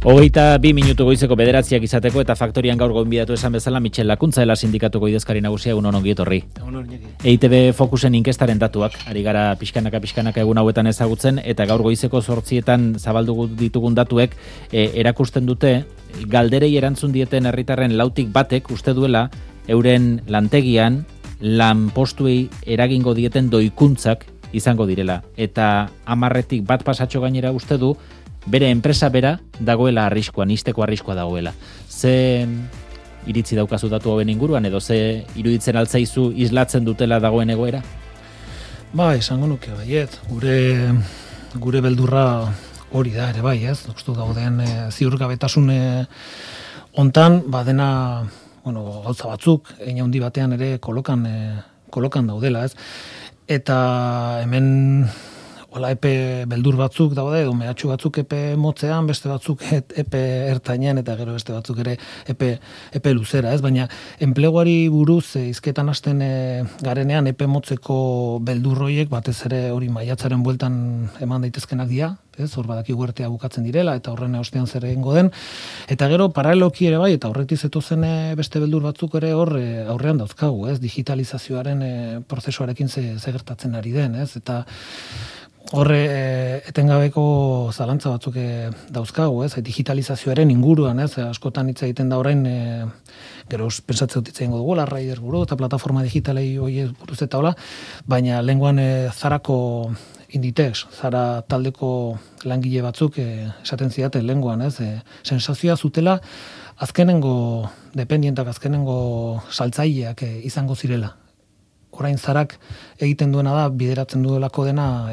22 minutu goizeko 9 izateko eta faktorian gaur gonbidatu esan bezala Michel Lakuntza dela sindikatuko idazkari nagusia egun ongi etorri. EITB Fokusen inkestaren datuak ari gara pixkanaka egun hauetan ezagutzen eta gaur goizeko 8etan zabaldu ditugun datuek erakusten dute galderei erantzun dieten herritarren 6tik 1 uste duela euren lantegian lanpostuei eragingo dieten doikuntzak izango direla eta 10tik 1 pasatxo gainera uste du bere enpresa bera dagoela arriskuan, isteko arriskua dagoela. Ze iritzi daukazu datu hauen inguruan edo ze iruditzen altzaizu islatzen dutela dagoen egoera? Ba, esango nuke baiet, gure beldurra hori da ere bai, ez? Uste gauden ziurgabetasun hontan, badena, gauza batzuk, hein handi batean ere kolokan daudela, ez? Eta hemen epe beldur batzuk daude, edo mehatxu batzuk epe motzean, beste batzuk epe ertainean, eta gero beste batzuk ere epe luzera, ez? Baina enpleguari buruz hizketan hasten garenean epe motzeko beldurroiek batez ere hori maiatzaren bueltan eman daitezkenak dira, ez? Hor badaki huertea bukatzen direla, eta horren ostean zer egingo den. Eta gero paraleloki ere bai, eta horretik zetozen beste beldur batzuk ere hor aurrean dauzkagu, ez? Digitalizazioaren prozesuarekin ze gertatzen ari den, ez? Eta horre etengabeko zalantza batzuk dauzkagu, ez? Digitalizazioaren inguruan, ez? Askotan hitz egiten da orain, gero pentsatze dut hitz egingo dugula, Raider buru eta plataforma digitalei horiek buruz eta hola, baina lenguan Zarako Inditex, Zara taldeko langile batzuk esaten zidaten lenguan, ez? Sensazioa zutela azkenengo dependientak, azkenengo saltzaileak izango zirela. Orain Zarak egiten duena da, bideratzen duelako dena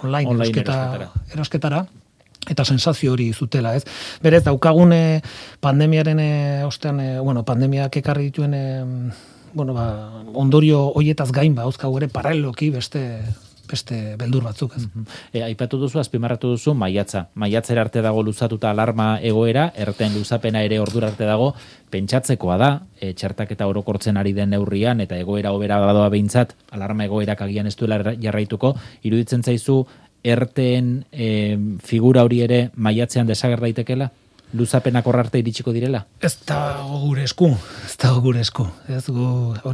online erosketara, eta sensazio hori zutela, ez? Berez, daukagun pandemiaren ostean, pandemiak ekarri dituen, ondorio hoietaz gain, hauzkagu ere paraleloki beste beldur batzuk, ez? Aipatu duzu, azpimarratu duzu, maiatzera arte dago luzatuta alarma egoera, erten luzapena ere ordura arte dago, pentsatzekoa da, txertaketa orokortzen ari den neurrian, eta egoera hobera badoa behintzat, alarma egoerak agian ez duela jarraituko, iruditzen zaizu, erteen figura hori ere maiatzean desager daitekela? Luzapenak horrarte iritsiko direla? Ez da gure esku.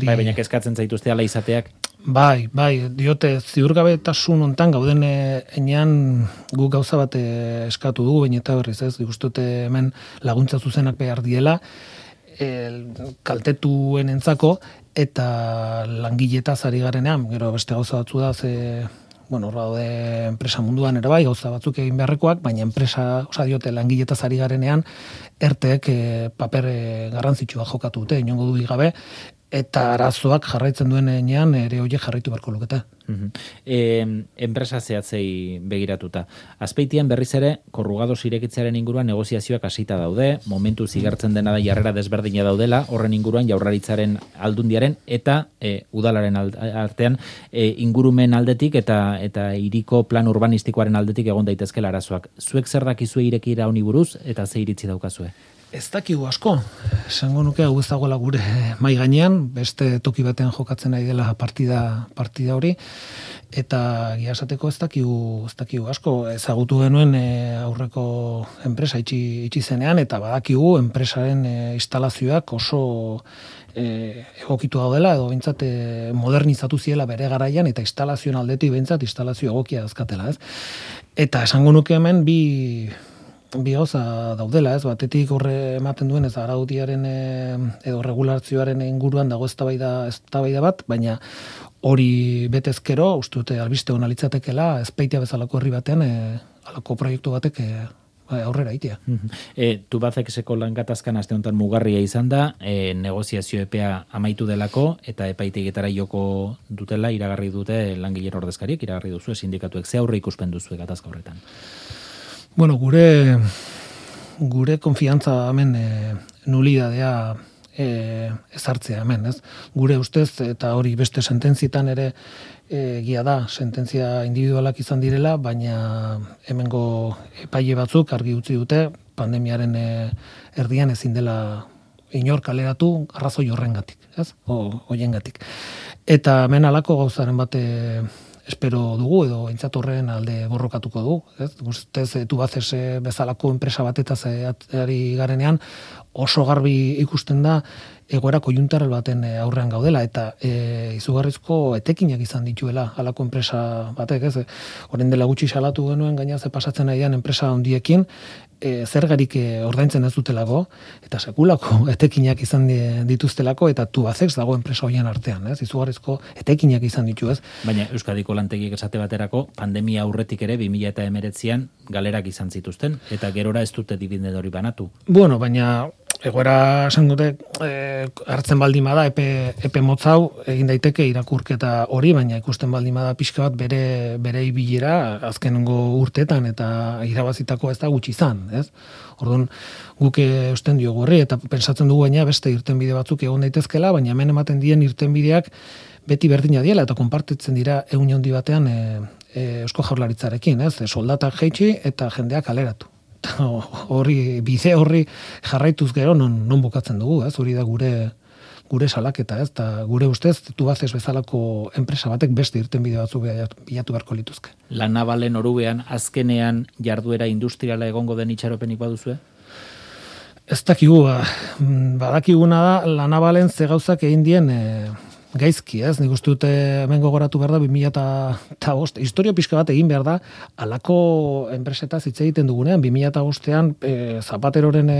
Baina kezkatzen zaituzte ala izateak? Bai, diote ziurgabetasun hontan gauden enean guk gauza bat eskatu dugu, baina eta berriz ez, dikustute hemen laguntza zuzenak behar diela, kaltetuen entzako, eta langiletaz ari garenean, gero beste gauza batzu da, daude enpresa munduan ere bai, gauza batzuk egin beharrekoak, baina enpresa, diote langiletaz ari garenean, erteek paper garrantzitsua jokatu dute, inongo dudik gabe, eta arazoak jarraitzen duen enean ere horiek jarraitu beharko lukete. Enpresa zehatzei begiratuta. Azpeitian berriz ere, korrugados irekitzearen inguruan negoziazioak hasita daude, momentu zigartzen dena da jarrera desberdina daudela, horren inguruan Jaurlaritzaren aldundiaren eta udalaren artean ingurumen aldetik eta hiriko plan urbanistikoaren aldetik egon daitezkela arazoak. Zuek zer dakizue irekira honi buruz eta ze iritzi daukazue? Ez dakigu asko, esango nuke hau ez dagoela gure mai gainean, beste toki batean jokatzen ari dela partida hori, eta egia esateko ez dakigu asko, ezagutu genuen aurreko enpresa itxi zenean, eta badakigu enpresaren instalazioak oso egokitu daudela, edo bintzat modernizatu ziela bere garaian, eta instalazioen aldetik bintzat instalazio egokia dazkatela, ez? Eta esango nuke hemen bi gauza daudela, ez? Batetik horre ematen duen ez araudiaren edo regularzioaren inguruan dago eztabaida bat, baina hori betezkero, uste dute albiste hona litzatekela, Azpeitia bezalako herri batean halako proiektu batek aurrera itea. Tubacexeko langatazkan aste honetan mugarria izan da, negoziazio epea amaitu delako, eta epaitegietara joko dutela, iragarri dute langileen ordezkariek, iragarri duzu sindikatuek, ze aurre ikuspen duzu gatazka horretan? Gure konfiantza hemen nulidadea ezartzea hemen, ez? Gure ustez, eta hori beste sententzietan ere egia da, sententzia individualak izan direla, baina hemengo epaile batzuk argi utzi dute, pandemiaren erdian ezin dela inor kaleratu arrazoi horrengatik, ez? Hoiengatik. Eta hemen halako gauzaren bate espero dugu edo aintzat horren alde borrokatuko du, ez? Guztez Tubaces bezalako enpresa batetaz ari garenean oso garbi ikusten da egoera koiuntural baten aurrean gaudela eta izugarrizko etekinak izan dituela halako enpresa batek, ez? Orain dela gutxi salatu genuen gaina ze pasatzen aian enpresa handiekin zergarik ordaintzen ez dutelako eta sekulako etekinak izan dituztelako eta Tubacex dago enpresa hoien artean, ez? Izugarrizko etekinak izan ditu, ez? Baina Euskadiko lantegiek esate baterako pandemia aurretik ere 2019an galerak izan zituzten eta gerora ez dute dividende hori banatu. Bueno, baina egoera esan dute hartzen baldin bada epe motzau egin daiteke irakurketa hori, baina ikusten baldin bada pixka bat bere ibilera azkenengo urteetan eta irabazitako ez da gutxi izan, ez? Orduan guk eusten diogu horri eta pentsatzen dugu baina beste irtenbide batzuk egon daitezkela, baina hemen ematen dien irtenbideak beti berdina diela eta konpartitzen dira ehun handi batean Eusko Jaurlaritzarekin, ez? Soldatak jaitsi eta jendeak kaleratu. Bide horri jarraituz gero non bukatzen dugu, ez? Hori da gure salaketa, ez? Ta gure ustez Tubaces bezalako enpresa batek beste irtenbide batzuk bilatu beharko lituzke. La Navalen orubean azkenean jarduera industriala egongo den itxaropenik baduzue? Ez dakigu, badakiguna da La Navalen ze gauzak egin dien gaizki, ez? Nik uste dute hemen gogoratu behar da 2005, historia pixka bat egin behar da, halako enpresetaz hitz egiten dugunean, 2005ean Zapateroren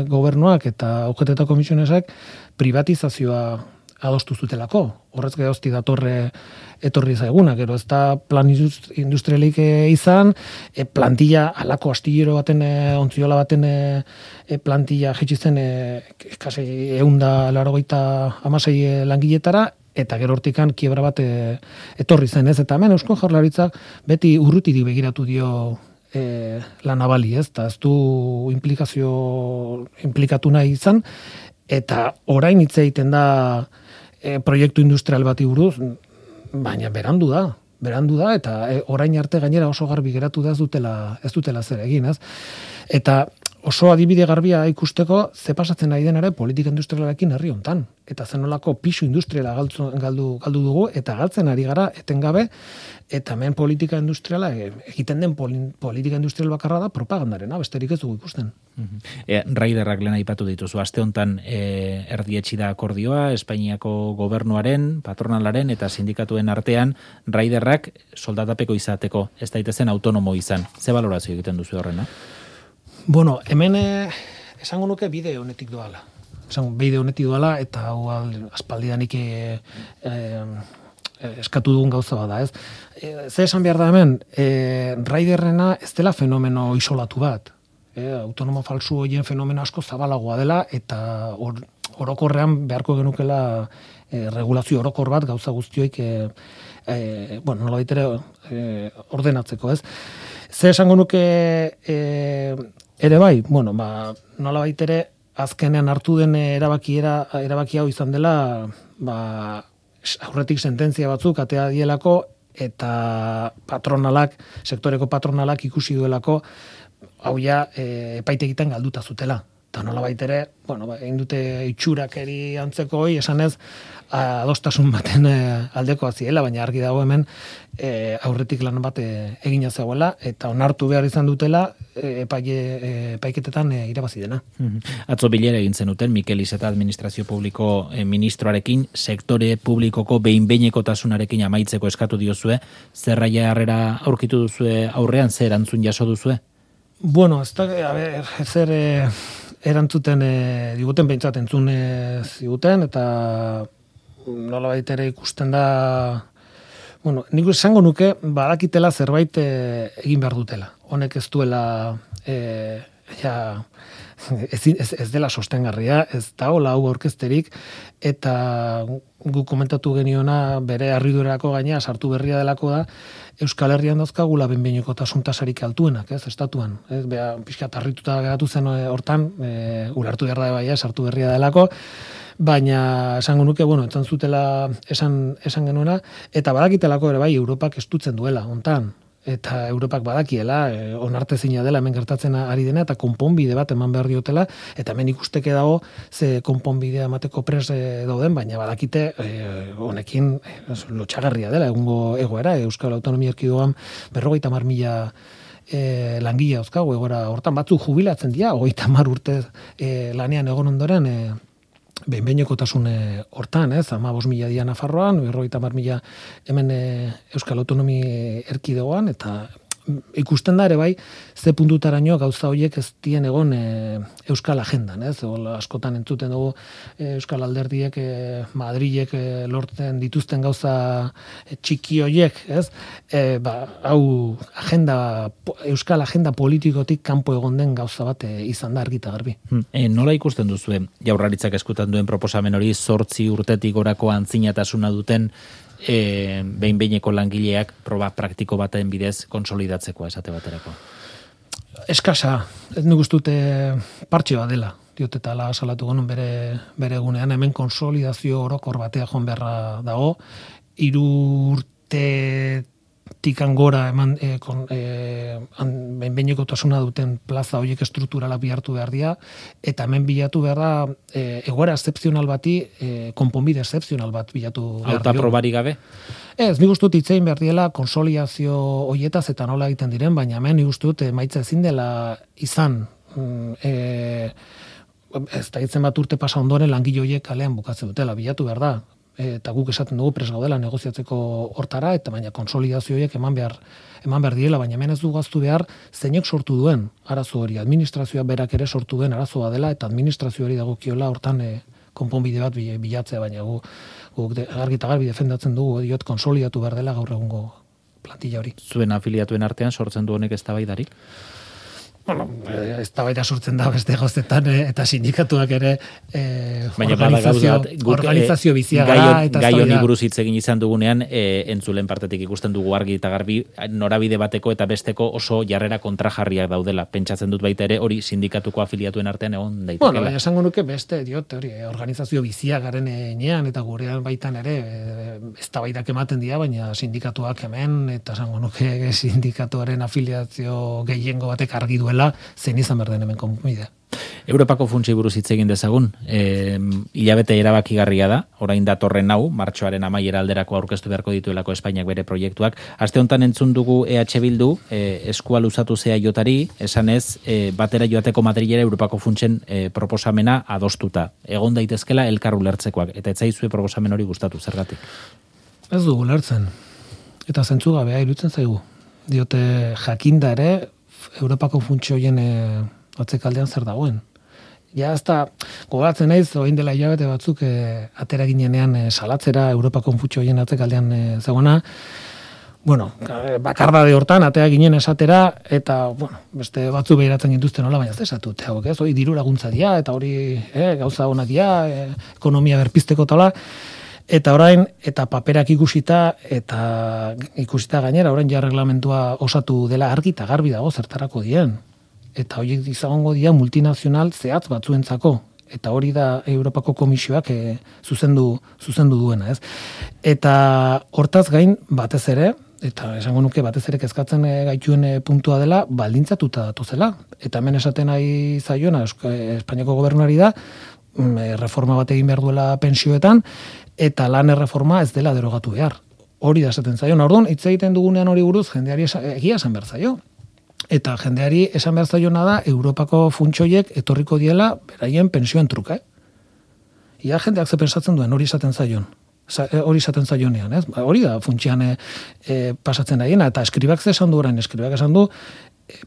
gobernuak eta UGT eta komisionesak privatizazioa adostu zutelako. Horrez gerozti etorri zaiguna, gero ez da plan industrialik izan, plantilla, halako astillero baten, ontziola baten plantilla jetxitzen kasi 186 langiletara, eta gero hortikan kiebra bat etorri zen, ez? Eta hemen Eusko Jaurlaritzak beti urrutirik begiratu dio La Navali, ez? Eta ez du implikatu nahi izan, eta orain hitz egiten da proiektu industrial bati buruz, baina berandu da eta orain arte gainera oso garbi geratu da ez dutela zer egin, ez? Eta oso adibide garbia ikusteko ze pasatzen ari den ere politika industrialarekin herri hontan eta zenolako pisu industriala galdu dugu eta galtzen ari gara etengabe eta hemen politika industriala egiten den politika industrial bakarra da propagandarena, besterik ez dugu ikusten. Raiderrak lehen aipatu dituzu, aste hontan erdietsi da akordioa Espainiako gobernuaren, patronalaren eta sindikatuen artean Raiderrak soldatapeko izateko, ez daitezen autonomo izan. Ze balorazio egiten duzu horrena? Bueno, hemen esango nuke bide honetik doala. Eta hau aspaldidanik eskatu dugun gauza bada, ez? Ze esan behar da hemen, Raiderrena ez dela fenomeno isolatu bat. Autonomo falsu horien fenomeno asko zabalagoa dela eta orokorrean beharko genukela regulazio orokor bat gauza guztioik nolabait ere ordenatzeko, ez? Ze esango nuke ere bai, nolabait ere azkenean hartu den erabaki hau izan dela, aurretik sententzia batzuk atea dielako eta sektoreko patronalak ikusi duelako hau ja epaitegitan galduta zutela. Eta nolabait ere, egin dute itxurakeri antzeko hori, esanez adostasun baten aldekoa ziela, baina argi dago hemen aurretik lan bat egina zegoela eta onartu behar izan dutela epaiketetan irabazi dena. Atzo bilera egin zenuten Mikel Iceta administrazio publiko ministroarekin, sektore publikoko behin-behinekotasunarekin amaitzeko eskatu diozue, zerraia harrera aurkitu duzue aurrean, zer erantzun jaso duzue? Bueno, zer erantzuten diguten behintzat entzun ziguten eta nolabait ere ikusten da nik esango nuke badakitela zerbait egin behar dutela. Honek ez duela ez dela sostengarria, ez da hola hau aurkezterik eta guk komentatu geniona bere harridurako gaina sartu berria delako da Euskal Herrian dauzkagula behin-behinekotasun tasarik altuenak, ez, estatuan. Ez, pixkat harrituta geratu zen hortan, ulertu behar da bai, sartu berria delako, baina esango nuke, entzan zutela esan genuena, eta badakitelako ere bai, Europak estutzen duela, hontan. eta Europak badakiela, onartezina dela hemen gertatzen ari dena, eta konponbide bat eman behar diotela, eta hemen ikusteke dago ze konponbidea emateko pres dauden, baina badakite honekin lotxagarria dela, egungo egoera, Euskal Autonomia Erkidegoan 50.000 langile dauzkagu egoera hortan, batzuk jubilatzen dira, 30 urte lanean egon ondoren, behin-behinekotasun hortan, 15.000 dira Nafarroan, 50.000 hemen Euskal Autonomia Erkidegoan, eta ikusten da ere bai, ze puntutaraino gauza horiek ez dien egon Euskal Agendan, askotan entzuten dugu Euskal Alderdiek, Madrilek lortzen dituzten gauza txiki horiek, hau Euskal Agenda politikotik kanpo egon den gauza bat izan da argita garbi. Nola ikusten duzue, Jaurlaritzak eskutan duen proposamen hori 8 urtetik gorako antzinatasuna duten behin-behineko langileak proba praktiko baten bidez konsolidatzeko esate baterako? Eskasa, ez nik ustute partxe bat dela, diotetala salatu gonun bere egunean, hemen konsolidazio orokor batea joan beharra dago, 3 urte tikan gora eman behin-behinekotasuna duten plaza horiek estrukturalak bihartu behar dira, eta hemen bilatu behar da egoera excepzional bati, konponbide excepzional bat bilatu behar dio. Auta probari gabe? Ez, nik ustut itzein behar diela konsolidazio horietaz eta nola egiten diren, baina hemen nik ustut maitza ezin dela izan ez da hitzen bat urte pasa ondoren langile horiek kalean bukatzen dutela, bilatu behar da. Eta guk esaten dugu pres gaudela negoziatzeko hortara, eta baina konsolidazio horiek eman behar diela, baina hemen ez du gaztu behar zeinek sortu duen arazo hori. Administrazioa berak ere sortu duen arazoa dela, eta administrazioari dagokiola hortan konponbide bat bilatzea, baina guk argi eta garbi defendatzen dugu, diot konsolidatu behar dela gaur egungo plantilla hori. Zuen afiliatuen artean sortzen du honek eztabaidarik? Bueno, eztabaida sortzen da beste gauzetan eta sindikatuak ere organizazio bizia gara. Gai honi buruz hitz egin izan dugunean, entzulen partetik ikusten dugu argi eta garbi norabide bateko eta besteko oso jarrera kontrajarriak daudela. Pentsatzen dut baita ere hori sindikatuko afiliatuen artean egon daitekeela. Bueno, esango nuke beste hori organizazio bizia garen enean eta gurean baitan ere eztabaidak ematen dira, baina sindikatuak hemen eta esango nuke sindikatuaren afiliazio gehiengo batek argi duela zein izan behar den hemen konponbidea. Europako funtsei buruz hitz egin dezagun, hilabete erabakigarria da, orain datorren hau, martxoaren amaiera alderako aurkeztu beharko dituelako Espainiak bere proiektuak. Aste honetan entzun dugu EH Bildu, eskua luzatu zea jotari, esanez, batera joateko Madrilera Europako funtsen proposamena adostuta. Egon daitezkela elkar ulertzekoak, eta etzaizue proposamen hori gustatu, zergatik? Ez dugu ulertzen, eta zentzugabea irutzen zaigu. Diote jakinda ere, Europako funtsio hoien atzekaldean zer dagoen. Ja, ez da, gogoratzen naiz, orain dela hilabete batzuk atera ginenean salatzera Europako funtsio hoien atzekaldean zegoena. Bueno, bakardade hortan atea ginen esatera, eta, bueno, beste batzu behiratzen gintuzten nola, baina ez esatu, ez, hori diru laguntza dia, eta hori gauza honak dia, ekonomia berpizteko tala, eta orain, eta paperak ikusita gainera, orain ja reglamentua osatu dela argi eta garbi dago zertarako dien. Eta horiek izango dira multinazional zehatz batzuentzako. Eta hori da Europako Komisioak zuzendu duena, ez? Eta hortaz gain batez ere, eta esango nuke batez ere kezkatzen gaituen puntua dela, baldintzatuta datuzela. Eta hemen esaten nahi zaiona Espainiako gobernuari da, reforma bat egin behar duela pensioetan, eta lan erreforma ez dela derogatu behar. Hori da esaten zaio. Orduan, hitz egiten dugunean hori buruz, jendeari egia esan behar zaio. Eta jendeari esan behar zaiona da, Europako funtsoiek etorriko diela beraien pensioen truka. Ia jendeak ze pensatzen duen, hori esaten zaion. Hori esaten zaionean, ez? Hori da funtsean pasatzen daiena, eta eskribak ze esan du orain, eskribak esan du,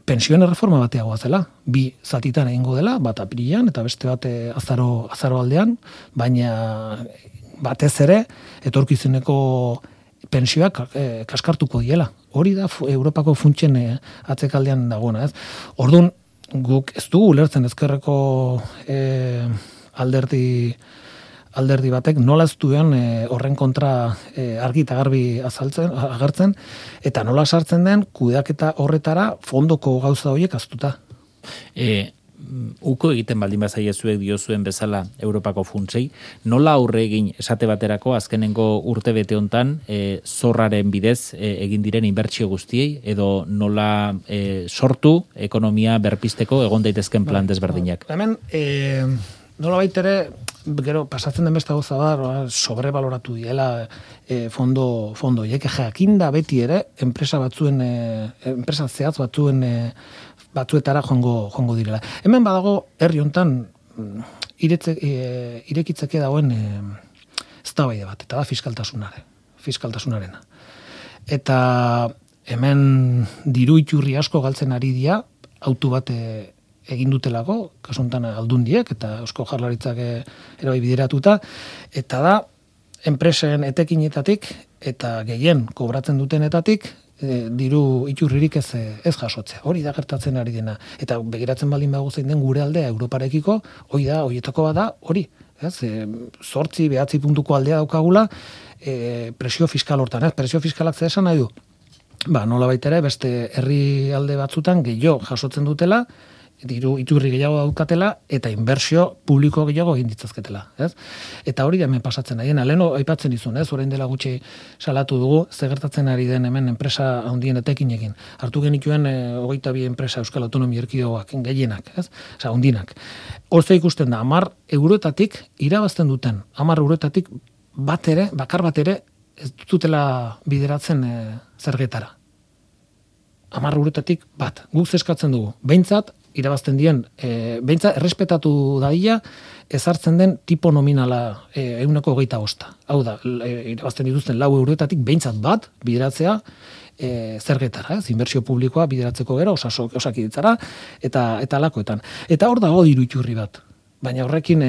pensioen erreforma bateagoa zela. 2 zatitan egingo dela, bat apirilean eta beste bat azaro aldean, baina batez ere etorkizuneko pensioak kaskartuko diela. Hori da Europako funtsen atzekaldean dagoena, ez? Orduan, guk ez dugu ulertzen ezkerreko alderdi batek nola ez duen horren kontra argi eta garbi agertzen, eta nola sartzen den kudeaketa horretara fondoko gauza horiek aztuta. uko egiten baldin bazaiezuek diozuen bezala Europako funtsei, nola aurre egin esate baterako azkenengo urtebete hontan zorraren bidez egin diren inbertsio guztiei, edo nola sortu ekonomia berpisteko egon daitezken plan desberdinak? Hemen, nola baitere, gero, pasatzen den beste gauza da, sobrebaloratu diela fondo hiek, jakinda beti ere, enpresa zehatz batzuetara joango direla. Hemen badago, herri hontan, irekitzeke dagoen eztabaide bat, eta da fiskaltasunarena. Eta hemen diru iturri asko galtzen ari dira, autu bat egin dutelako, kasuntan aldundiek, eta Eusko Jaurlaritzak ere bideratuta, eta da, enpresen etekinetatik, eta gehien kobratzen dutenetatik, diru iturririk ez jasotzea. Hori da gertatzen ari dena. Eta begiratzen baldin bago zein den gure aldea Europarekiko, horietako bada, hori. 8-9 puntuko aldea daukagula, presio fiskal hortan. Presio fiskalak zer esan nahi du? Nola baitere, beste herri alde batzutan gehiago jasotzen dutela, diru iturri gehiago daukatela, eta inbertsio publiko gehiago egin ditzazketela. Eta hori da hemen pasatzen ari dena. Leheno aipatzen dizun, orain dela gutxi salatu dugu, ze gertatzen ari den hemen enpresa handien etekinekin. Hartu genituen 22 enpresa Euskal Autonomia Erkidegoak gehienak, handinak. Horze ikusten da, 10 eurotatik irabazten duten, 10 eurotatik bakar bat ere, ez dutela bideratzen zergetara. 10 eurotatik bat. Guk zeskatzen dugu. Behintzat, irabazten dien, behintzat, errespetatu daia, ezartzen den tipo nominala 125. Hau da, irabazten dituzten 4 eurotatik behintzat bat bideratzea zergetara, inbertsio publikoa bideratzeko gero, osakiditzara, eta alakoetan. Eta hor dago diru iturri bat. Baina horrekin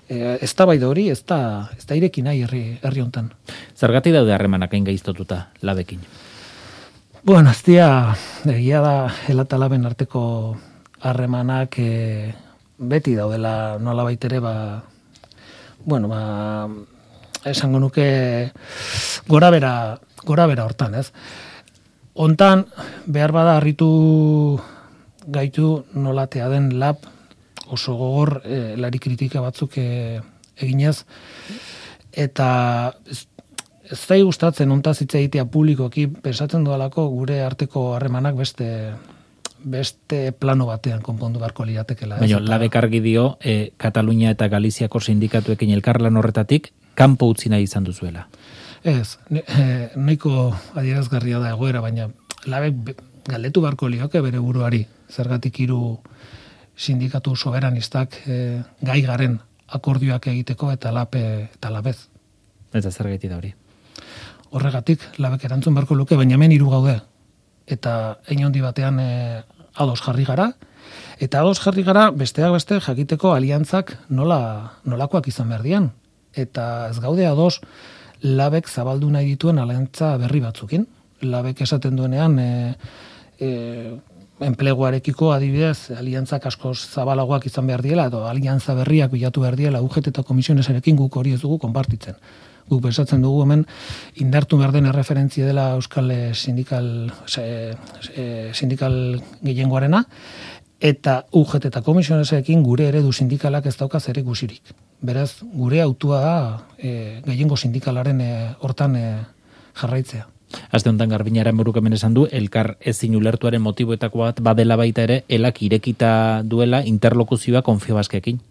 eztabaida hori ez da ireki nahi herri hontan. Zergatik daude harremanak hain gaiztotuta labekin? Bueno, egia da elatalaben arteko harremanak beti daudela nola baitere, esango nuke gora bera hortan, ez? Hontan, behar bada harritu gaitu nolatea den lab oso gogor lari kritika batzuk eginez, eta ez zai gustatzen hontaz hitz egitea publikoki, pensatzen dualako gure arteko harremanak beste plano batean konpondu beharko liratekela. Baina, labek argi dio, Katalunia eta Galiziako sindikatuekin elkarlan horretatik, kanpo utzi nahi izan duzuela. Ez, nahiko adierazgarria da egoera, baina labek galdetu beharko lioke bere buruari, zergatik 3 sindikatu soberanistak gai garen akordioak egiteko eta labez. Eta zergaiti da hori? Horregatik, labek erantzun beharko luke, baina hemen 3 gaude. Eta hein handi batean ados jarri gara, eta ados jarri gara besteak beste jakiteko aliantzak nolakoak izan behar dian. Eta ez gaude ados labek zabaldu nahi dituen aliantza berri batzukin. Labek esaten duenean enpleguarekiko adibidez aliantzak asko zabalagoak izan behar diela, edo aliantza berriak bilatu behar diela UGT eta komisionesarekin guk hori ez dugu konpartitzen. Guk pensatzen dugu hemen indartu behar den erreferentzia dela Euskal sindikal gehiengoarena, eta UGT eta komisionesarekin gure eredu sindikalak ez dauka zer ikusirik. Beraz, gure autua da gehiengo sindikalaren hortan jarraitzea. Aste honetan Garbinaren burukamen esan du, elkar ezin ulertuaren motiboetako bat badela baita ere, elak irekita duela interlokuzioa Confebaskekin.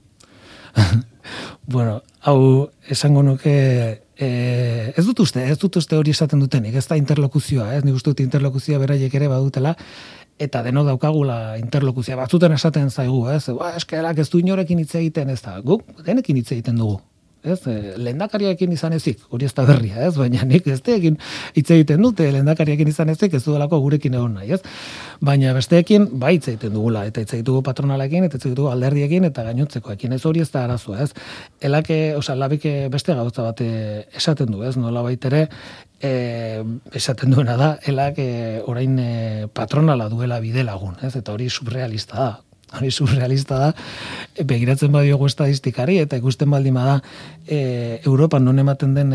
Bueno, hau esango nuke ez dut uste hori esaten dutenik, ez da interlokuzioa, nik uste dut interlokuzioa beraiek ere badutela, eta denok daukagula interlokuzioa. Batzuten esaten zaigu, eskerak ez du inorekin hitz egiten, ez da, guk denekin hitz egiten dugu. Lehendakariarekin izan ezik, hori ez da berria, baina nik ez teekin hitz egiten dute, lehendakariarekin izan ezik, ez dudalako gurekin egon nahi, baina besteekin bai hitz egiten dugula, eta hitz egitugu patronalekin, eta hitz egitugu alderdiekin, eta gainontzekoekin, ez hori ez da arazoa, labik beste gauza bat esaten du, nola baitere, esaten duena da, elak orain patronala duela bide lagun, eta hori surrealista da. Hori surrealista da, begiratzen badiogu estadistikari, eta ikusten baldin bada Europan non ematen den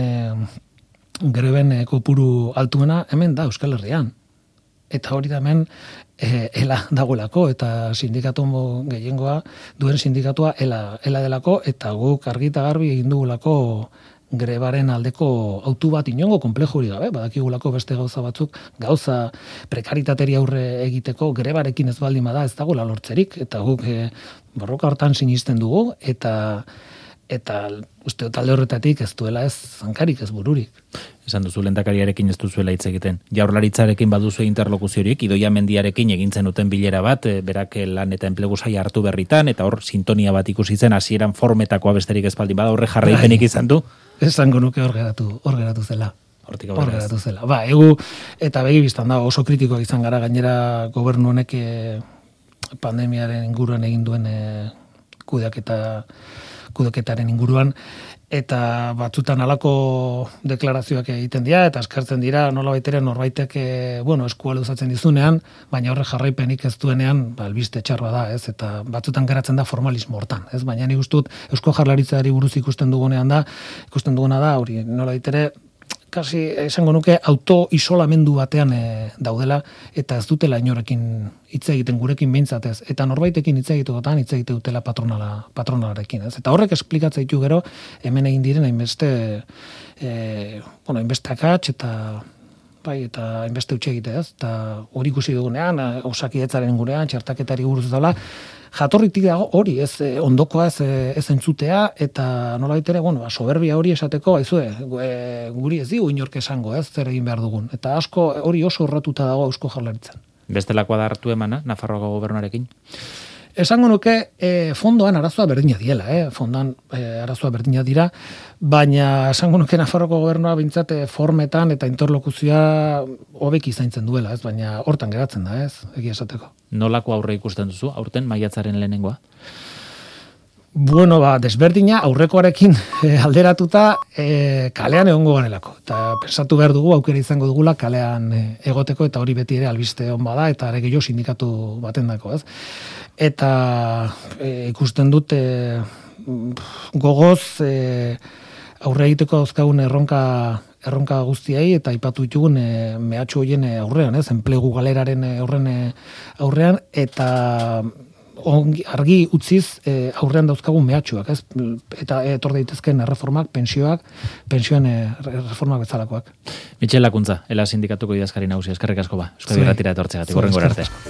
greben kopuru altuena, hemen da Euskal Herrian. eta hori da hemen ela dagoelako, eta sindikatu gehiengoa duen sindikatua ela delako, eta guk argi eta garbi egin dugulako grebaren aldeko autu bat inongo konplejo hori gabe, badakigulako beste gauza batzuk, gauza prekaritateria aurre egiteko grebarekin ez baldin bada ez dagoela lortzerik, eta guk borroka hortan sinisten dugu, eta uste talde horretatik ez duela ez zankarik, ez bururik. Esan duzu lehendakariarekin ez duzuela hitz egiten. Jaurlaritzarekin baduzu interlokuziorik, Idoia Mendiarekin egin zenuten bilera bat, berak lan eta enplegu saila hartu berritan, eta hor sintonia bat ikusi zen, hasieran formetakoa besterik ez baldin bada, horre jarraipenik izan du? Esango nuke hor geratu zela. Hortik hor geratu zela. Ba, egu eta begi biztan da oso kritikoak izan gara, gainera gobernu honek pandemiaren inguruan egin duen kudeaketaren inguruan, eta batzutan halako deklarazioak egiten dira, eta eskartzen dira nolabait ere norbaitek eskua luzatzen dizunean, baina horre jarraipenik ez duenean, albiste txarra da, ez? Eta batzutan geratzen da formalismo hortan, ez? Baina nik ustut Eusko Jaurlaritzari buruz ikusten duguna da, hori nolabait ere kasi esango nuke auto-isolamendu batean daudela, eta ez dutela inorekin hitz egiten gurekin behintzatez, eta norbaitekin hitz egitekotan hitz egite dutela patronalarekin, ez? Eta horrek esplikatzea ditu gero, hemen egin diren hainbeste akats eta hainbeste utxe egite, ez? Eta hori ikusi dugunean, Osakidetzaren inguruan, txertaketari buruz daula, jatorritik dago hori, ez ondokoa ez entzutea, eta nolabait ere, soberbia hori esateko, guri ez digu inork esango, ez, zer egin behar dugun. Eta asko hori oso urratuta dago Eusko Jaurlaritzan. Bestelakoa da hartu emana, Nafarroako gobernuarekin? Esango nuke, fondoan arazoa berdina diela, fondoan arazoa berdina dira, baina esango nuke Nafarroko gobernua bintzat formetan eta interlokuzioa hobeki zaintzen duela, ez, baina hortan geratzen da, ez, egia esateko. Nolako aurre ikusten duzu, aurten maiatzaren lehenengoa? Desberdina aurrekoarekin alderatuta kalean egongo ganelako. Eta pensatu behar dugu, aukera izango dugula kalean egoteko, eta hori beti ere albiste hon bada, eta ere gehiago sindikatu baten dako, ez? Eta ikusten dut gogoz aurre egiteko dauzkagun erronka guztiei, eta aipatu ditugun mehatxu horien aurrean, ez? Enplegu galeraren aurrean, eta argi utziz aurrean dauzkagun mehatxuak, ez? Eta etor daitezken erreformak, pensioen reformak bezalakoak. Mitxel Lakuntza, Ela sindikatuko idazkari nagusia, eskerrik asko ba. Euskadi Irratira etortzeagatik, hurrengora arte.